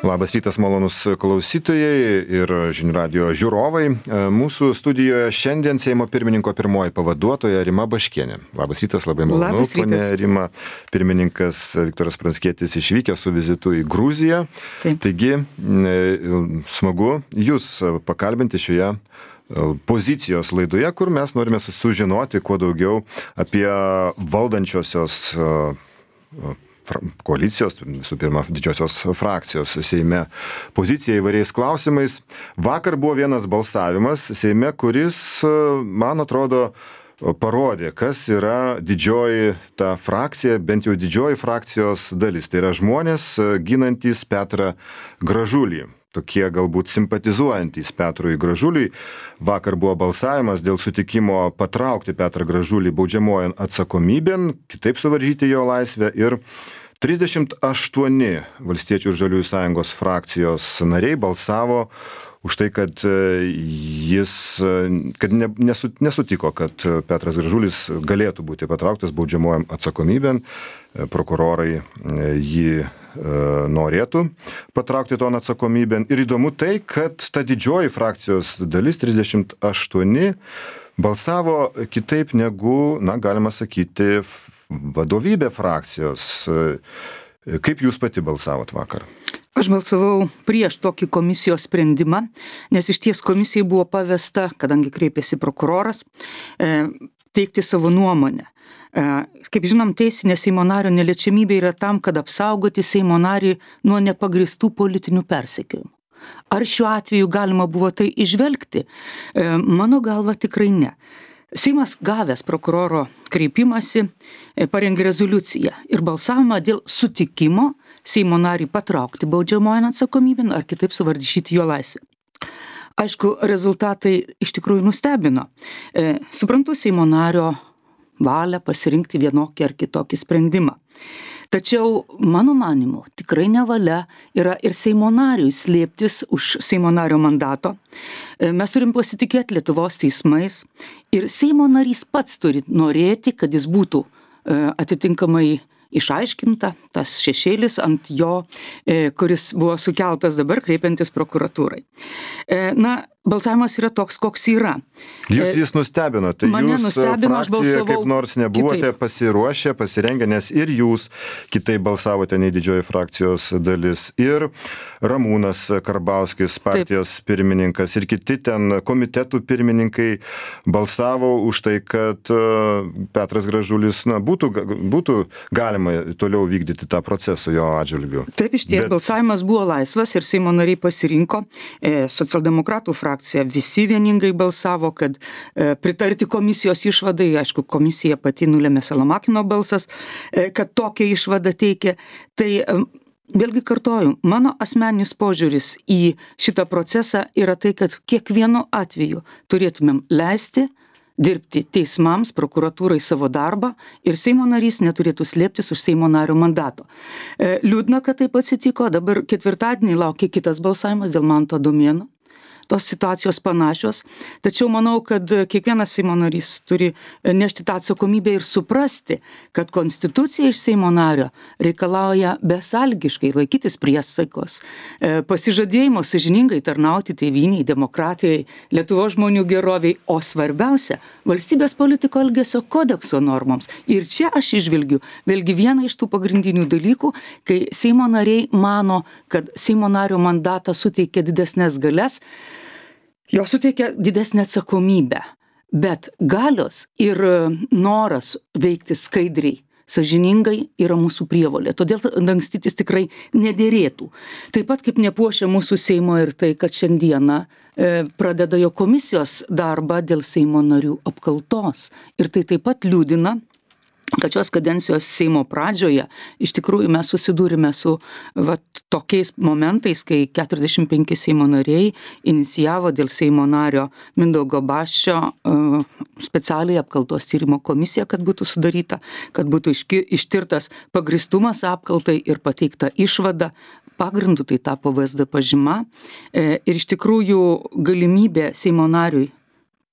Labas rytas, malonus klausytojai ir žinių radio žiūrovai. Mūsų studijoje šiandien Seimo pirmininko pirmoji pavaduotoja Rima Baškienė. Labas rytas, labai malonu, ponė Rima. Pirmininkas Viktoras Pranckietis išvykęs su vizitu į Gruziją. Taip. Taigi, smagu jūs pakalbinti šioje pozicijos laidoje, kur mes norime sužinoti kuo daugiau apie valdančiosios koalicijos, visų pirma, didžiosios frakcijos Seime poziciją įvairiais klausimais. Vakar buvo vienas balsavimas Seime, kuris, man atrodo, parodė, kas yra didžioji ta frakcija, bent jau didžioji frakcijos dalis. Tai yra žmonės ginantys Petrą Gražulį. Tokie galbūt simpatizuojantys Petrui Gražuliui. Vakar buvo balsavimas dėl sutikimo patraukti Petrą Gražulį baudžiamojon atsakomybėn, kitaip suvaržyti jo laisvę, ir 38 Valstiečių ir Žaliųjų sąjungos frakcijos nariai balsavo už tai, kad nesutiko, kad Petras Gražulis galėtų būti patrauktas baudžiamojom atsakomybėn. Prokurorai jį norėtų patraukti ton atsakomybėn. Ir įdomu tai, kad ta didžioji frakcijos dalis, 38, balsavo kitaip negu, galima sakyti, vadovybė frakcijos. Kaip jūs pati balsavot vakar? Aš balsavau prieš tokį komisijos sprendimą, nes iš ties komisijai buvo pavesta, kadangi kreipėsi prokuroras, teikti savo nuomonę. Kaip žinom, teisinė Seimo nario neliečiamybė yra tam, kad apsaugoti Seimo narį nuo nepagristų politinių persekiojimų. Ar šiuo atveju galima buvo tai įžvelgti? Mano galva tikrai ne. Seimas gavęs prokuroro kreipimąsi parengė rezoliuciją ir balsavimą dėl sutikimo Seimo narį patraukti baudžiamojon atsakomybėn ar kitaip suvaržyti jo laisvę. Aišku, rezultatai iš tikrųjų nustebino. Suprantu Seimo nario valią pasirinkti vienokį ar kitokį sprendimą. Tačiau, mano manimu, tikrai nevalia yra ir Seimo nariui slėptis už Seimo nario mandato. Mes turim pasitikėti Lietuvos teismais ir Seimo narys pats turi norėti, kad jis būtų atitinkamai išaiškinta, tas šešėlis ant jo, kuris buvo sukeltas dabar kreipiantis prokuratūrai. Balsavimas yra toks, koks yra. Jis nustebino, tai Mane jūs nustebino, aš frakcija balsavau kaip nors nebuvote kitaip. pasiruošę, pasirengę, nes ir jūs kitaip balsavote nei didžioji frakcijos dalis, ir Ramūnas Karbauskis, partijos pirmininkas, ir kiti ten komitetų pirmininkai balsavo už tai, kad Petras Gražulis, būtų galima toliau vykdyti tą procesą jo atžvilgiu. Taip, iš tiek, balsavimas buvo laisvas ir Seimo nariai pasirinko. Socialdemokratų frakcija visi vieningai balsavo, kad pritarti komisijos išvadai, aišku, komisija pati nulėmė Salamakino balsas, kad tokią išvadą teikė. Tai vėlgi kartoju, mano asmeninis požiūris į šitą procesą yra tai, kad kiekvienu atveju turėtumėm leisti dirbti teismams, prokuratūrai savo darbą ir Seimo narys neturėtų slėptis už Seimo nario mandato. Liūdna, kad taip atsitiko, dabar ketvirtadienį laukia kitas balsavimas dėl Manto Adomėno. Tos situacijos panašios, tačiau manau, kad kiekvienas Seimo narys turi nešti tą atsakomybę ir suprasti, kad konstitucija iš Seimo nario reikalauja besąlygiškai laikytis priesaikos, pasižadėjimo sąžiningai tarnauti tėvynei, demokratijai, Lietuvos žmonių geroviai, o svarbiausia - valstybės politiko elgesio kodekso normoms. Ir čia aš išvelgiu vėlgi vieną iš tų pagrindinių dalykų, kai Seimo nariai mano, kad Seimo nario mandatą suteikia didesnės galias, jo suteikia didesnę atsakomybę, bet galios ir noras veikti skaidriai, sąžiningai yra mūsų prievolė. Todėl dangstytis tikrai nedėrėtų. Taip pat kaip nepuošia mūsų Seimo ir tai, kad šiandieną pradeda jo komisijos darbą dėl Seimo narių apkaltos. Ir tai taip pat liūdina, kad šios kadencijos Seimo pradžioje iš tikrųjų mes susidūrime su tokiais momentais, kai 45 Seimo nariai inicijavo dėl Seimo nario Mindaugo Basčio specialiai apkaltos tyrimo komisiją, kad būtų sudaryta, kad būtų ištirtas pagristumas apkaltai ir pateikta išvada. Pagrindu tai tapo VSD pažyma ir iš tikrųjų galimybė Seimo nariui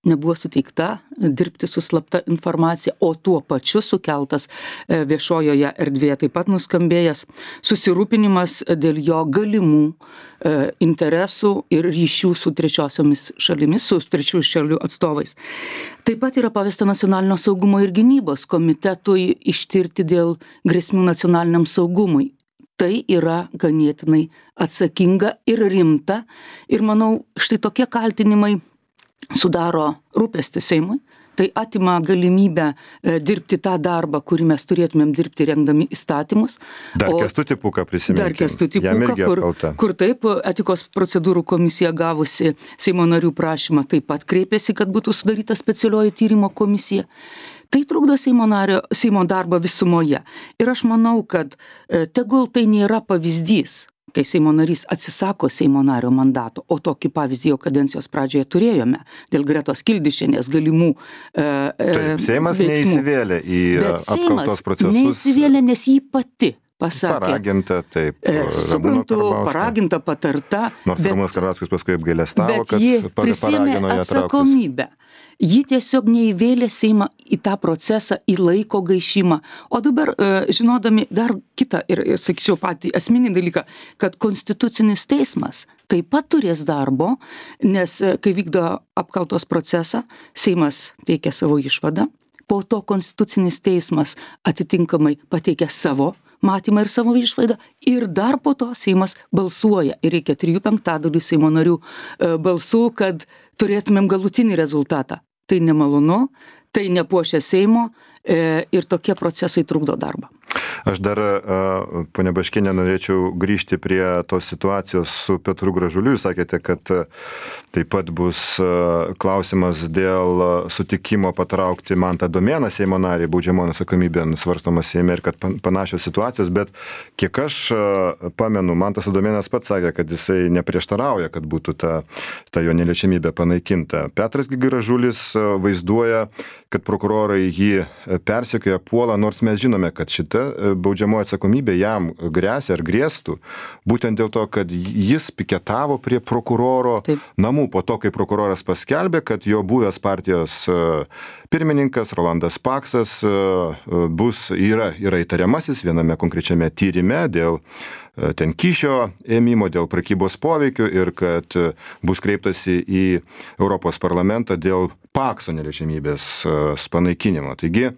nebuvo suteikta dirbti su slapta informacija, o tuo pačiu sukeltas viešojoje erdvėje taip pat nuskambėjęs susirūpinimas dėl jo galimų interesų ir ryšių su trečiosiomis šalimis, su trečiųjų šalių atstovais. Taip pat yra pavesta Nacionalinio saugumo ir gynybos komitetui ištirti dėl grėsmių nacionaliniam saugumui. Tai yra ganėtinai atsakinga ir rimta ir manau, štai tokie kaltinimai sudaro rūpestį Seimui, tai atima galimybę dirbti tą darbą, kurį mes turėtumėm dirbti rengdami įstatymus. Dar Kęstutį Pūką prisiminkim. Dar Kęstutį Pūką, kur taip etikos procedūrų komisija gavusi Seimo narių prašymą taip pat kreipėsi, kad būtų sudaryta specialioji tyrimo komisija. Tai trukdo Seimo darbą visumoje. Ir aš manau, kad tegul tai nėra pavyzdys, kai Seimo narys atsisako Seimo nario mandato, o tokį pavyzdį jau kadencijos pradžioje turėjome dėl Gretos Kildišienės galimų Taip, Seimas veiksmų. neįsivėlė į apkaltos procesus. Bet Seimas neįsivėlė, nes jį pati pasakė. Paraginta, taip. Suprantu, paraginta, patarta. Nors Ramūnas Karbauskis paskui apgailestavo, bet ji kad prisėmė paragino ją trauktis. atsakomybę. Ji tiesiog neįvėlė Seimą į tą procesą, į laiko gaišimą. O dabar, žinodami dar kitą ir sakyčiau patį esminį dalyką, kad Konstitucinis teismas taip pat turės darbo, nes kai vykdo apkaltos procesą, Seimas teikia savo išvadą, po to Konstitucinis teismas atitinkamai pateikia savo matymą ir savo išvaidą ir dar po to Seimas balsuoja ir reikia 3/5 Seimo narių balsų, kad turėtumėm galutinį rezultatą. Tai nemalonu, tai nepuošia Seimo ir tokie procesai trukdo darbą. Aš dar, ponia Baškienė, norėčiau grįžti prie tos situacijos su Petru Gražuliu. Jūs sakėte, kad taip pat bus klausimas dėl sutikimo patraukti Mantą Domėną, Seimo narį, baudžiamojon atsakomybėn svarstomas Seime ir kad panašios situacijos, bet kiek aš pamenu, Mantas Domėnas pats sakė, kad jisai neprieštarauja, kad būtų ta jo neliečiamybė panaikinta. Petras Gražulis vaizduoja, kad prokurorai jį persekioja, puola, nors mes žinome, kad šita baudžiamoji atsakomybė jam grėsia ar grėstų, būtent dėl to, kad jis piketavo prie prokuroro namų po to, kai prokuroras paskelbė, kad jo buvęs partijos pirmininkas Rolandas Paksas yra įtariamasis viename konkrečiame tyrime dėl ten kyšio ėmimo, dėl prekybos poveikių ir kad bus kreiptasi į Europos parlamentą dėl Pakso neliečiamybės panaikinimo. Taigi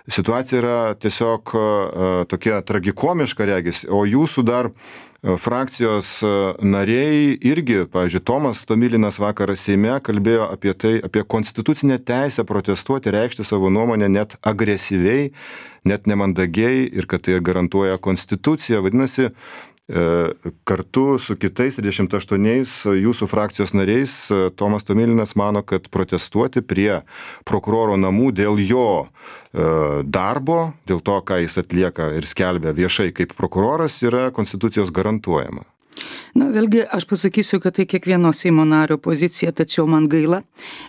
situacija yra tiesiog tokia tragikomiška regis, o jūsų dar frakcijos nariai irgi, pavyzdžiui, Tomas Tomilinas vakar Seime kalbėjo apie konstitucinę teisę protestuoti, reikšti savo nuomonę net agresyviai, net nemandagiai ir kad tai garantuoja konstitucija. Vadinasi, kartu su kitais 28 jūsų frakcijos nariais Tomas Tomilinas mano, kad protestuoti prie prokuroro namų dėl jo darbo, dėl to, ką jis atlieka ir skelbia viešai kaip prokuroras, yra konstitucijos garantuojama. Na, vėlgi, aš pasakysiu, kad tai kiekvieno Seimo nario pozicija, tačiau man gaila,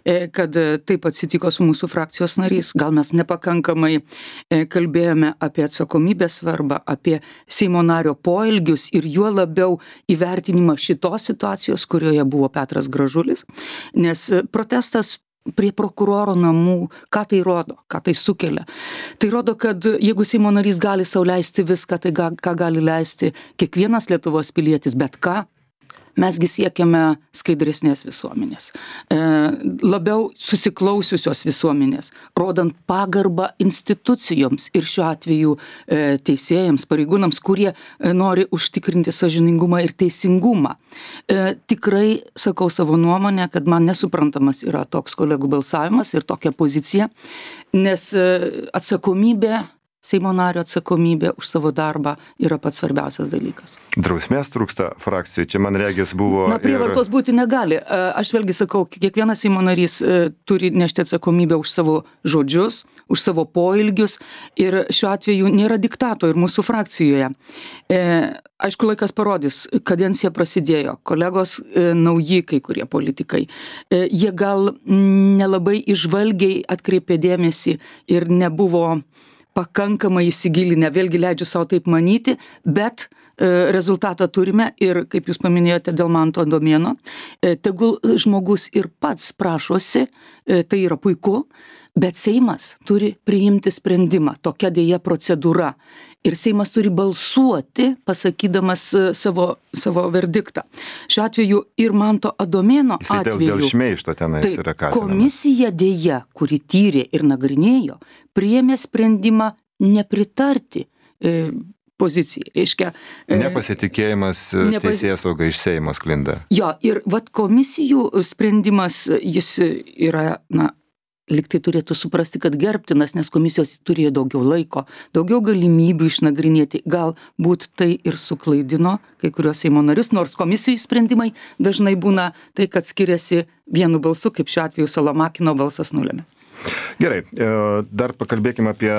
kad taip atsitiko su mūsų frakcijos nariais. Gal mes nepakankamai kalbėjome apie atsakomybės svarbą, apie Seimo nario poelgius ir juo labiau įvertinimą šitos situacijos, kurioje buvo Petras Gražulis, nes protestas prie prokuroro namų, ką tai rodo, ką tai sukelia. Tai rodo, kad jeigu Seimo narys gali sau leisti viską, tai ką gali leisti kiekvienas Lietuvos pilietis, bet ką, mesgi siekiame skaidresnės visuomenės, labiau susiklausiusios visuomenės, rodant pagarbą institucijoms ir šiuo atveju teisėjams, pareigūnams, kurie nori užtikrinti sąžiningumą ir teisingumą. Tikrai sakau savo nuomonę, kad man nesuprantamas yra toks kolegų balsavimas ir tokia pozicija, nes atsakomybė, Seimo nario atsakomybė už savo darbą yra pats svarbiausias dalykas. Drausmės trūksta frakcijai, čia man regis buvo... Na, prievartos būti negali. Aš vėlgi sakau, kiekvienas Seimo narys turi nešti atsakomybę už savo žodžius, už savo poelgius ir šiuo atveju nėra diktato ir mūsų frakcijoje. Aišku, laikas parodys, kadencija prasidėjo, kolegos nauji kai kurie politikai. Jie gal nelabai įžvalgiai atkreipė dėmesį ir nebuvo pakankamai įsigilinę, vėlgi leidžiu savo taip manyti, bet rezultatą turime ir, kaip jūs paminėjote, dėl Manto Adomėno, tegul žmogus ir pats prašosi, tai yra puiku, bet Seimas turi priimti sprendimą, tokia dėja procedūra. Ir Seimas turi balsuoti, pasakydamas savo verdiktą. Šiuo atveju ir Manto Adomėno atveju. Dėl šmeižto tenais yra kaltinamas. Komisija dėja, kuri tyrė ir nagrinėjo, priėmė sprendimą nepritarti pozicijai. Reiškia, nepasitikėjimas teisėsauga iš Seimo sklinda. Jo, ir komisijų sprendimas, jis yra, liktai turėtų suprasti, kad gerbtinas, nes komisijos turėjo daugiau laiko, daugiau galimybių išnagrinėti. Galbūt tai ir suklaidino kai kuriuos Seimo narius, nors komisijų sprendimai dažnai būna tai, kad skiriasi vienu balsu, kaip šiuo atveju Salomakino balsas nulėmė. Gerai, dar pakalbėkime apie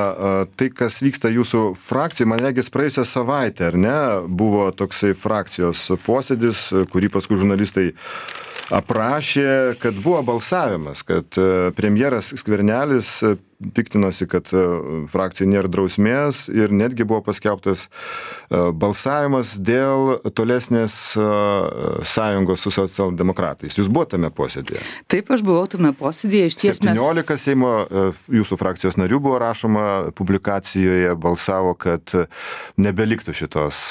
tai, kas vyksta jūsų frakcijai. Man regis praėjusią savaitę, ar ne, buvo toksai frakcijos posėdis, kurį paskui žurnalistai aprašė, kad buvo balsavimas, kad premjeras Skvernelis piktinosi, kad frakcijai nėra drausmės ir netgi buvo paskelbtas balsavimas dėl tolesnės sąjungos su socialdemokratais. Jūs buvote tame posėdėje? Taip, aš buvau tame posėdėje. 17 Seimo jūsų frakcijos narių buvo rašoma publikacijoje, balsavo, kad nebeliktų šitos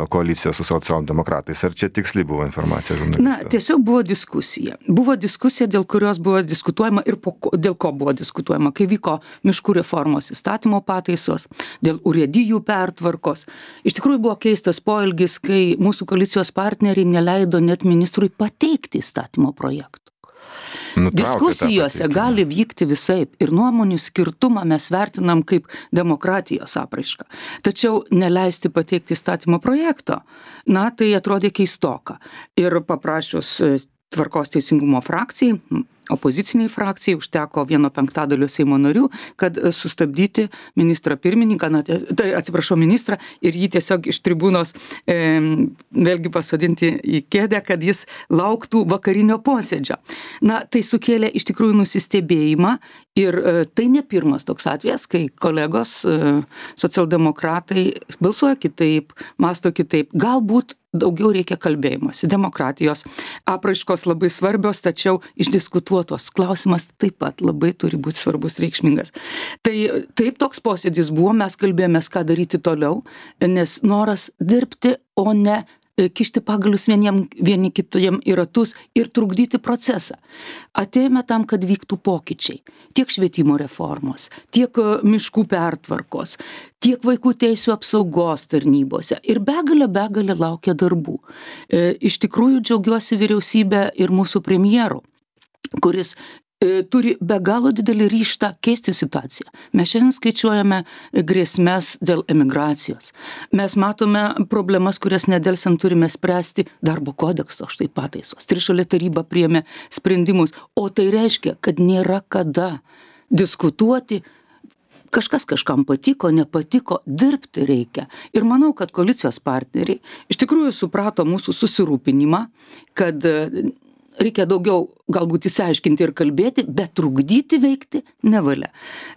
koalicijos su socialdemokratais. Ar čia tiksliai buvo informacija žurnalistų? Tiesiog buvo diskusija. Buvo diskusija, dėl kurios buvo diskutuojama ir dėl ko buvo diskutuojama, kai vyko miškų reformos įstatymo pataisos, dėl urėdijų pertvarkos. Iš tikrųjų buvo keistas poelgis, kai mūsų koalicijos partneriai neleido net ministrui pateikti įstatymo projektų. Diskusijose gali vykti visaip ir nuomonių skirtumą mes vertinam kaip demokratijos apraišką. Tačiau neleisti pateikti įstatymo projekto, tai atrodė keistoka. Ir paprašius Tvarkos teisingumo frakcijai, opoziciniai frakcijai, užteko 1/5 Seimo narių, kad sustabdyti ministrą pirmininką, ministrą ir jį tiesiog iš tribūnos vėlgi pasodinti į kėdę, kad jis lauktų vakarinio posėdžio. Tai sukėlė iš tikrųjų nusistebėjimą ir tai ne pirmas toks atvejas, kai kolegos socialdemokratai balsuoja kitaip, mąsto kitaip. Galbūt daugiau reikia kalbėjimosi. Demokratijos apraiškos labai svarbios, tačiau išdiskutuotos klausimas taip pat labai turi būti svarbus, reikšmingas. Tai taip toks posėdis buvo, mes kalbėjomės, ką daryti toliau, nes noras dirbti, o ne kišti pagalius vieni kitiem į ratus ir trukdyti procesą. Atėjome tam, kad vyktų pokyčiai. Tiek švietimo reformos, tiek miškų pertvarkos, tiek vaikų teisių apsaugos tarnybose. Ir begalė laukia darbų. Iš tikrųjų džiaugiuosi vyriausybė ir mūsų premjeru, kuris turi be galo didelį ryžtą keisti situaciją. Mes šiandien skaičiuojame grėsmes dėl emigracijos. Mes matome problemas, kurias nedelsiant turime spręsti darbo kodekso, štai pataisos. Trišalė taryba priėmė sprendimus, o tai reiškia, kad nėra kada diskutuoti. Kažkas kažkam patiko, nepatiko, dirbti reikia. Ir manau, kad koalicijos partneriai iš tikrųjų suprato mūsų susirūpinimą, kad reikia daugiau galbūt įsiaiškinti ir kalbėti, bet trukdyti veikti nevalia.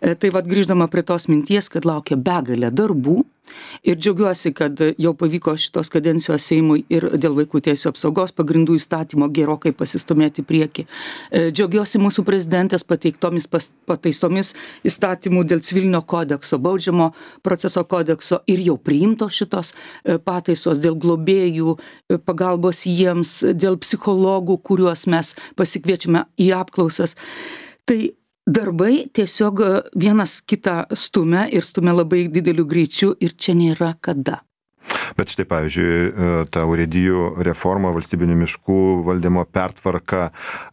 Tai grįždama prie tos minties, kad laukia begalė darbų ir džiaugiuosi, kad jau pavyko šitos kadencijos Seimui ir dėl vaikų teisių apsaugos pagrindų įstatymo gerokai pasistumėti prieki. Džiaugiuosi mūsų prezidentės pateiktomis pataisomis įstatymų dėl civilinio kodekso, baudžiamo proceso kodekso ir jau priimto šitos pataisos dėl globėjų, pagalbos jiems, dėl psichologų, kuriuos mes pasikviečiame į apklausas. Tai darbai tiesiog vienas kitą stumia ir stumia labai dideliu greičiu ir čia nėra kada. Bet štai, pavyzdžiui, ta urėdijų reforma, valstybinių miškų valdymo pertvarka,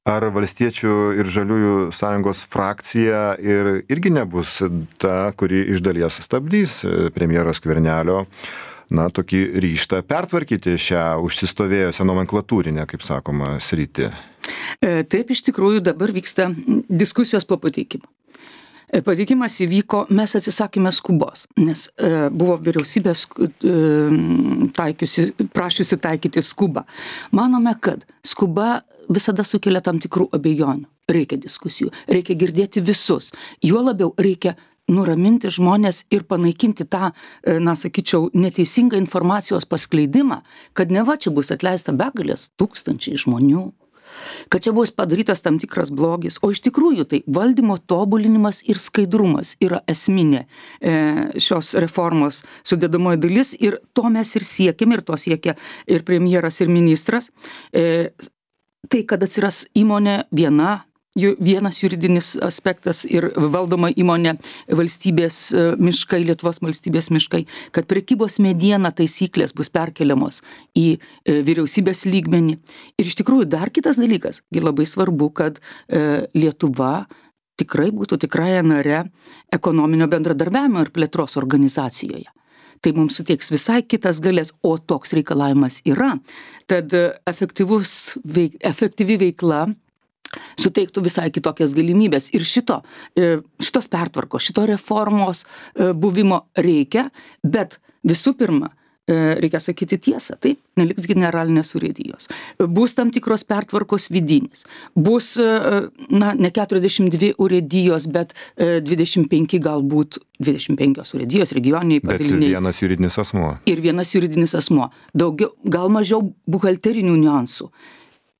ar Valstiečių ir Žaliųjų sąjungos frakcija irgi nebus ta, kuri iš dalies stabdys premjero Skvernelio tokį ryžtą pertvarkyti šią užsistovėjusią nomenklatūrinę, kaip sakoma, sritį? Taip, iš tikrųjų dabar vyksta diskusijos po pateikimo. Pateikimas įvyko, mes atsisakėme skubos, nes buvo vyriausybės prašiusi taikyti skubą. Manome, kad skuba visada sukelia tam tikrų abejonių. Reikia diskusijų, reikia girdėti visus. Juo labiau reikia nuraminti žmonės ir panaikinti tą, na, sakyčiau, neteisingą informacijos paskleidimą, kad neva čia bus atleista begalės tūkstančiai žmonių, kad čia bus padarytas tam tikras blogis, o iš tikrųjų tai valdymo tobulinimas ir skaidrumas yra esminė šios reformos sudėdamoji dalis ir to mes ir siekiam, ir to siekia ir premjeras, ir ministras. Tai, kad atsiras įmonė vienas juridinis aspektas ir valdoma įmonė valstybės miškai, Lietuvos valstybės miškai, kad prekybos mediena taisyklės bus perkeliamos į vyriausybės lygmenį. Ir iš tikrųjų dar kitas dalykas, labai svarbu, kad Lietuva tikrai būtų tikrąja nare ekonominio bendradarbiavimo ir plėtros organizacijoje. Tai mums suteiks visai kitas galės, o toks reikalavimas yra. Tad efektyvi veikla suteiktų visai kitokias galimybės. Ir šitos pertvarkos, šito reformos buvimo reikia, bet visų pirma, reikia sakyti tiesą, taip, neliks generalinės urėdijos. Bus tam tikros pertvarkos vidinės. Bus, ne 42 urėdijos, bet 25 galbūt 25 urėdijos, regioniniai padaliniai. Bet vienas juridinis asmuo. Ir vienas juridinis asmuo. Daugiau, gal mažiau buhalterinių niuansų.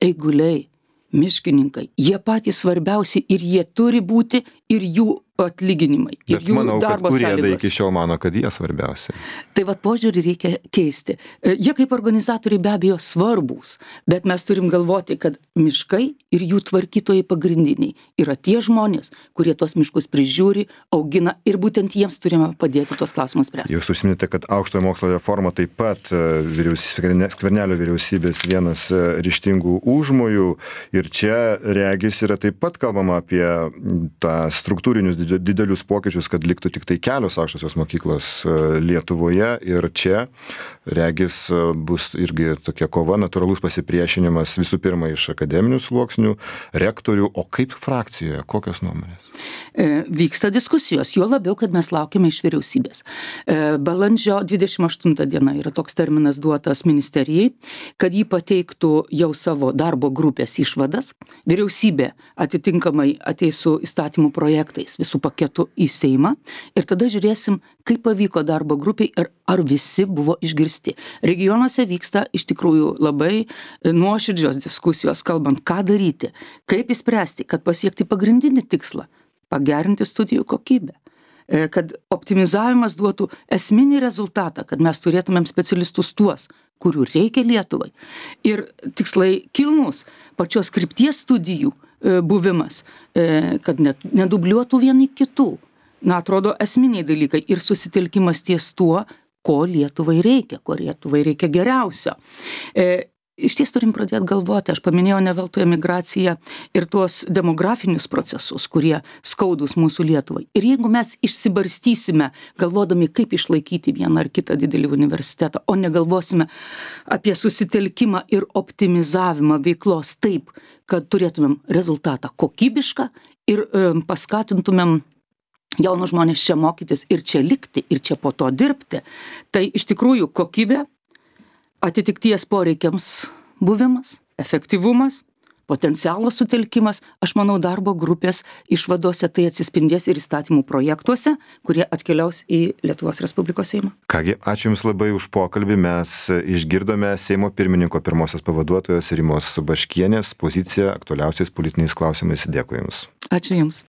Eiguliai, miškininkai, jie patys svarbiausi ir jie turi būti ir jų atlyginimai. Ir bet jų manau, kad darbo urėdai sąlygos. iki šiol mano, kad jie svarbiausi. Tai vat požiūrį reikia keisti. Jie kaip organizatoriai be abejo svarbūs, bet mes turim galvoti, kad miškai ir jų tvarkytojai pagrindiniai yra tie žmonės, kurie tuos miškus prižiūri, augina ir būtent jiems turime padėti tuos klausimus spręsti. Jūs užsiminėte, kad aukštojo mokslo reforma taip pat Skvernelio vyriausybės vienas ryžtingų užmojų ir čia regis yra taip pat kalbama apie tą struktūrinius didelius pokyčius, kad liktų tik tai kelios aukštosios mokyklos Lietuvoje ir čia regis bus irgi tokia kova, natūralus pasipriešinimas visų pirma iš akademinių sluoksnių, rektorių, o kaip frakcijoje, kokios nuomonės? Vyksta diskusijos, juo labiau, kad mes laukiame iš vyriausybės. Balandžio 28 diena yra toks terminas duotas ministerijai, kad jį pateiktų jau savo darbo grupės išvadas. Vyriausybė atitinkamai ateis su įstatymų projektais visų paketų į Seimą ir tada žiūrėsim, kaip pavyko darbo grupiai ir ar visi buvo išgirsti. Regionuose vyksta iš tikrųjų labai nuoširdžios diskusijos, kalbant, ką daryti, kaip įspręsti, kad pasiekti pagrindinį tikslą - pagerinti studijų kokybę, kad optimizavimas duotų esminį rezultatą, kad mes turėtumėm specialistus tuos, kurių reikia Lietuvai. Ir tikslai kilnus, pačios krypties studijų buvimas, kad nedubliuotų vieni kitų. Atrodo esminiai dalykai ir susitelkimas ties tuo, ko Lietuvai reikia geriausio. Iš ties turim pradėti galvoti, aš paminėjau ne veltui emigraciją ir tuos demografinius procesus, kurie skaudus mūsų Lietuvai. Ir jeigu mes išsibarstysime, galvodami, kaip išlaikyti vieną ar kitą didelį universitetą, o negalvosime apie susitelkimą ir optimizavimą veiklos taip, kad turėtumėm rezultatą kokybišką ir paskatintumėm jaunus žmonės čia mokytis ir čia likti, ir čia po to dirbti, tai iš tikrųjų kokybė, atitikties poreikiams buvimas, efektyvumas, potencialo sutelkimas, aš manau, darbo grupės išvadose tai atsispindės ir įstatymų projektuose, kurie atkeliaus į Lietuvos Respublikos Seimą. Kągi, ačiū Jums labai už pokalbį. Mes išgirdome Seimo pirmininko pirmosios pavaduotojos Rimos Baškienės poziciją aktualiausiais politiniais klausimais. Dėkui Jums. Ačiū Jums.